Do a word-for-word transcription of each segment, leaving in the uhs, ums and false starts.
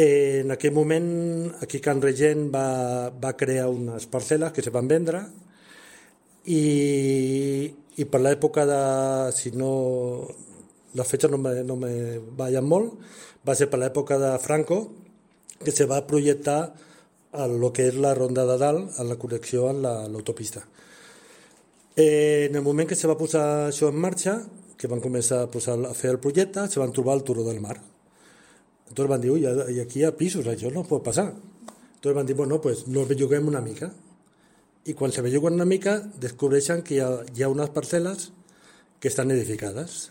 En aquell moment, aquí Can Regent va, va crear unes parcel·les que se van vendre i, i per l'època de, si no, les fetges no me, no me ballen molt, va ser per l'època de Franco que se va projectar el que és la Ronda de Dalt, en la connexió amb la, l'autopista. Eh, en el moment que se va posar això en marxa, que van començar a, posar, a fer el projecte, se van trobar el Turó del Mar. Entonces van dir, ui, aquí hi ha pisos, això no pot passar. Entonces van dir, bueno, pues nos belluguem una mica. I quan se belluguen una mica, descobreixen que hi ha, hi ha unes parcel·les que estan edificades.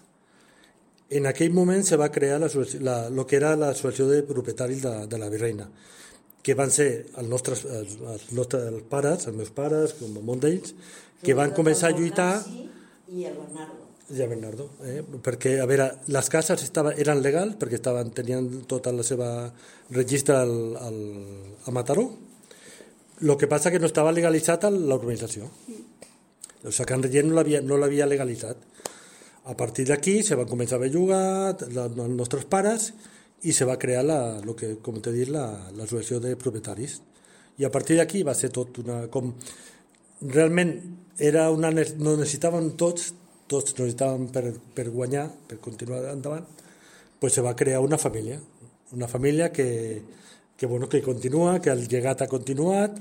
En aquell moment se va crear la, la, lo que era l'associació de propietaris de, de la Virreina, que van ser els nostres, els, els nostres els pares, els meus pares, com un munt d'ells, que van començar a lluitar... I el Bernardo. I el Bernardo, eh? Perquè, a veure, les cases estaven, eren legals, perquè estaven, tenien tota la seva registre al, al, a Mataró. El que passa que no estava legalitzat a l'urbanització. O sigui, Can Regent no l'havia no l'havia legalitzat. A partir d'aquí se van començar a bellugar els nostres pares i se va crear, la, lo que, com t'he dit, l'associació de propietaris. I a partir d'aquí va ser tot una... Com, realment era una, no necessitaven tots, tots necessitaven per, per guanyar, per continuar endavant, pues se va crear una família, una família que, que, bueno, que continua, que el llegat ha continuat